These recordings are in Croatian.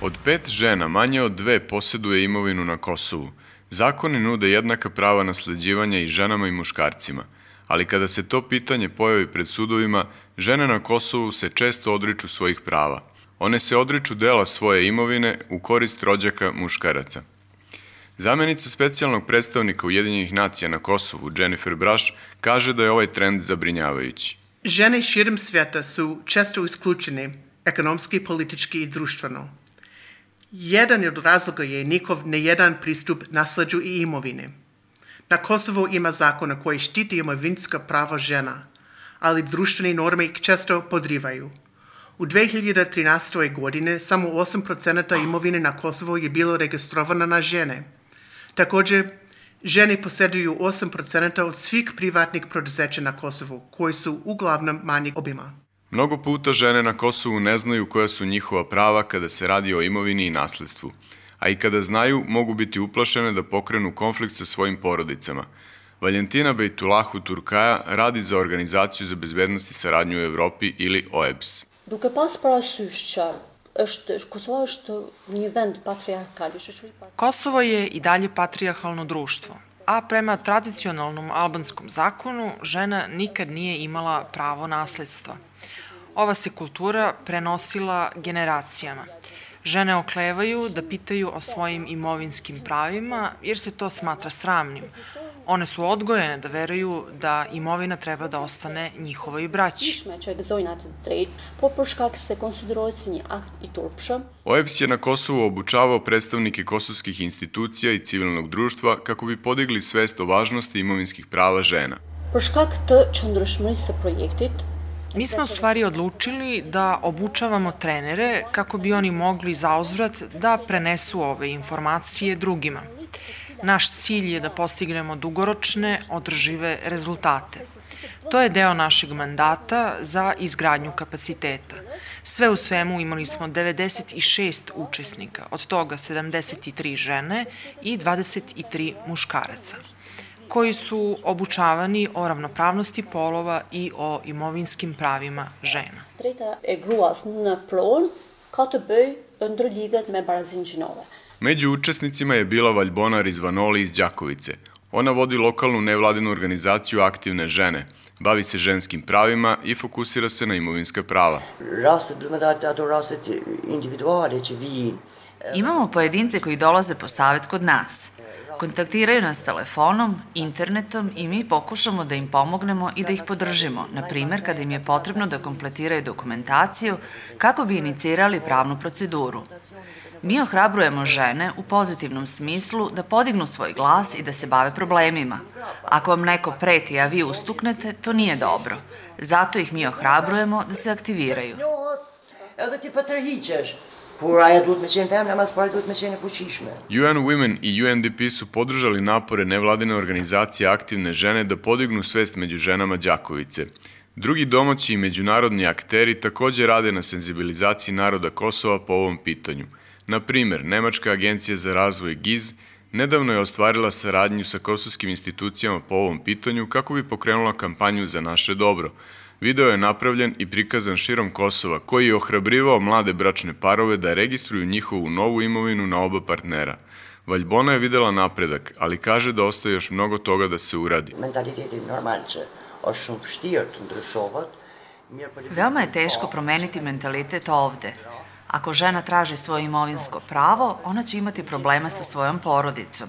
Od 5 žena manje od 2 posjeduje imovinu na Kosovu. Zakoni nude jednaka prava nasleđivanja i ženama i muškarcima, ali kada se to pitanje pojavi pred sudovima, žene na Kosovu se često odriču svojih prava. One se odriču dela svoje imovine u korist rođaka muškaraca. Zamenica specijalnog predstavnika Ujedinjenih nacija na Kosovu, Jennifer Brash, kaže da je ovaj trend zabrinjavajući. Žene širom svijeta su često isključene ekonomski, politički i društveno. Jedan od razloga je njihov nejedan pristup nasleđu i imovine. Na Kosovu ima zakona koji štiti imovinska prava žena, ali društvene norme ih često podrivaju. U 2013. godine samo 8% imovine na Kosovu je bilo registrovano na žene. Također, žene posjeduju 8% od svih privatnih poduzeća na Kosovu, koji su uglavnom manjeg obima. Mnogo puta žene na Kosovu ne znaju koja su njihova prava kada se radi o imovini i nasledstvu, a i kada znaju mogu biti uplašene da pokrenu konflikt sa svojim porodicama. Valentina Bejtulahu Turkaja radi za Organizaciju za bezbednost i saradnju u Evropi ili OEBS. Duke pas parasysh që Kosovo është një vend patrijarkal. Kosovo je i dalje patrijarhalno društvo, a prema tradicionalnom albanskom zakonu žena nikad nije imala pravo nasledstva. Ova se kultura prenosila generacijama. Žene oklevaju da pitaju o svojim imovinskim pravima jer se to smatra sramnim. One su odgojene da veruju da imovina treba da ostane njihovoj braći. OEBS je na Kosovu obučavao predstavnike kosovskih institucija i civilnog društva kako bi podigli svest o važnosti imovinskih prava žena. Mi smo u stvari odlučili da obučavamo trenere kako bi oni mogli zauzvrat da prenesu ove informacije drugima. Naš cilj je da postignemo dugoročne, održive rezultate. To je deo našeg mandata za izgradnju kapaciteta. Sve u svemu imali smo 96 učesnika, od toga 73 žene i 23 muškaraca, koji su obučavani o ravnopravnosti polova i o imovinskim pravima žena. Među učesnicima je bila Valjbona Rizvanoli iz Đakovice. Ona vodi lokalnu nevladinu organizaciju Aktivne žene, bavi se ženskim pravima i fokusira se na imovinska prava. Imamo pojedince koji dolaze po savjet kod nas. Kontaktiraju nas telefonom, internetom i mi pokušamo da im pomognemo i da ih podržimo, na primjer kada im je potrebno da kompletiraju dokumentaciju kako bi inicirali pravnu proceduru. Mi ohrabrujemo žene u pozitivnom smislu da podignu svoj glas i da se bave problemima. Ako vam neko preti, a vi ustuknete, to nije dobro. Zato ih mi ohrabrujemo da se aktiviraju. UN Women i UNDP su podržali napore nevladine organizacije Aktivne žene da podignu svest među ženama Đakovice. Drugi domaći i međunarodni akteri također rade na senzibilizaciji naroda Kosova po ovom pitanju. Na primjer, Nemačka agencija za razvoj GIZ nedavno je ostvarila saradnju sa kosovskim institucijama po ovom pitanju kako bi pokrenula kampanju za naše dobro. Video je napravljen i prikazan širom Kosova, koji je ohrabrivao mlade bračne parove da registruju njihovu novu imovinu na oba partnera. Valjbona je videla napredak, ali kaže da ostaje još mnogo toga da se uradi. Veoma je teško promeniti mentalitet ovde. Ako žena traži svoje imovinsko pravo, ona će imati problema sa svojom porodicom.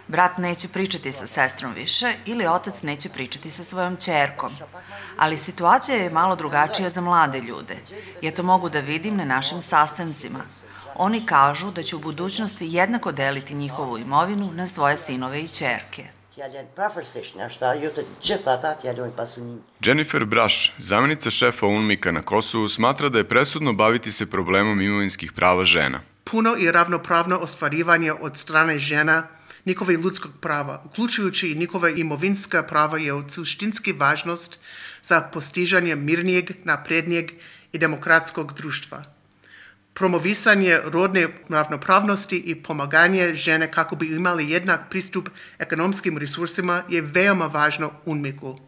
Brat neće pričati sa sestrom više ili otac neće pričati sa svojom ćerkom. Ali situacija je malo drugačija za mlade ljude. Ja to mogu da vidim na našim sastancima. Oni kažu da će u budućnosti jednako deliti njihovu imovinu na svoje sinove i ćerke. Jennifer Brash, zamjenica šefa UNMIK-a na Kosovu, smatra da je presudno baviti se problemom imovinskih prava žena. Puno i ravnopravno ostvarivanje od strane žena njihove ljudskog prava, uključujući i njihove imovinska prava, je od suštinske važnost za postižanje mirnijeg, naprednijeg i demokratskog društva. Promovisanje rodne ravnopravnosti i pomaganje žene kako bi imali jednak pristup ekonomskim resursima je veoma važno UNMIK-u.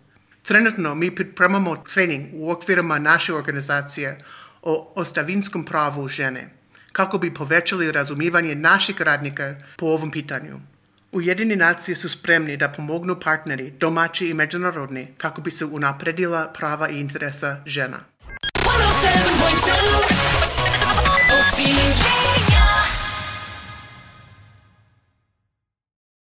Trenutno mi pripremamo trening u okvirima naše organizacije o ostavinskom pravu žene. kako bi povećali razumijevanje naših radnika po ovom pitanju. Ujedinjene nacije su spremni da pomognu partneri, domaći i međunarodni, kako bi se unapredila prava i interesa žena. 107.2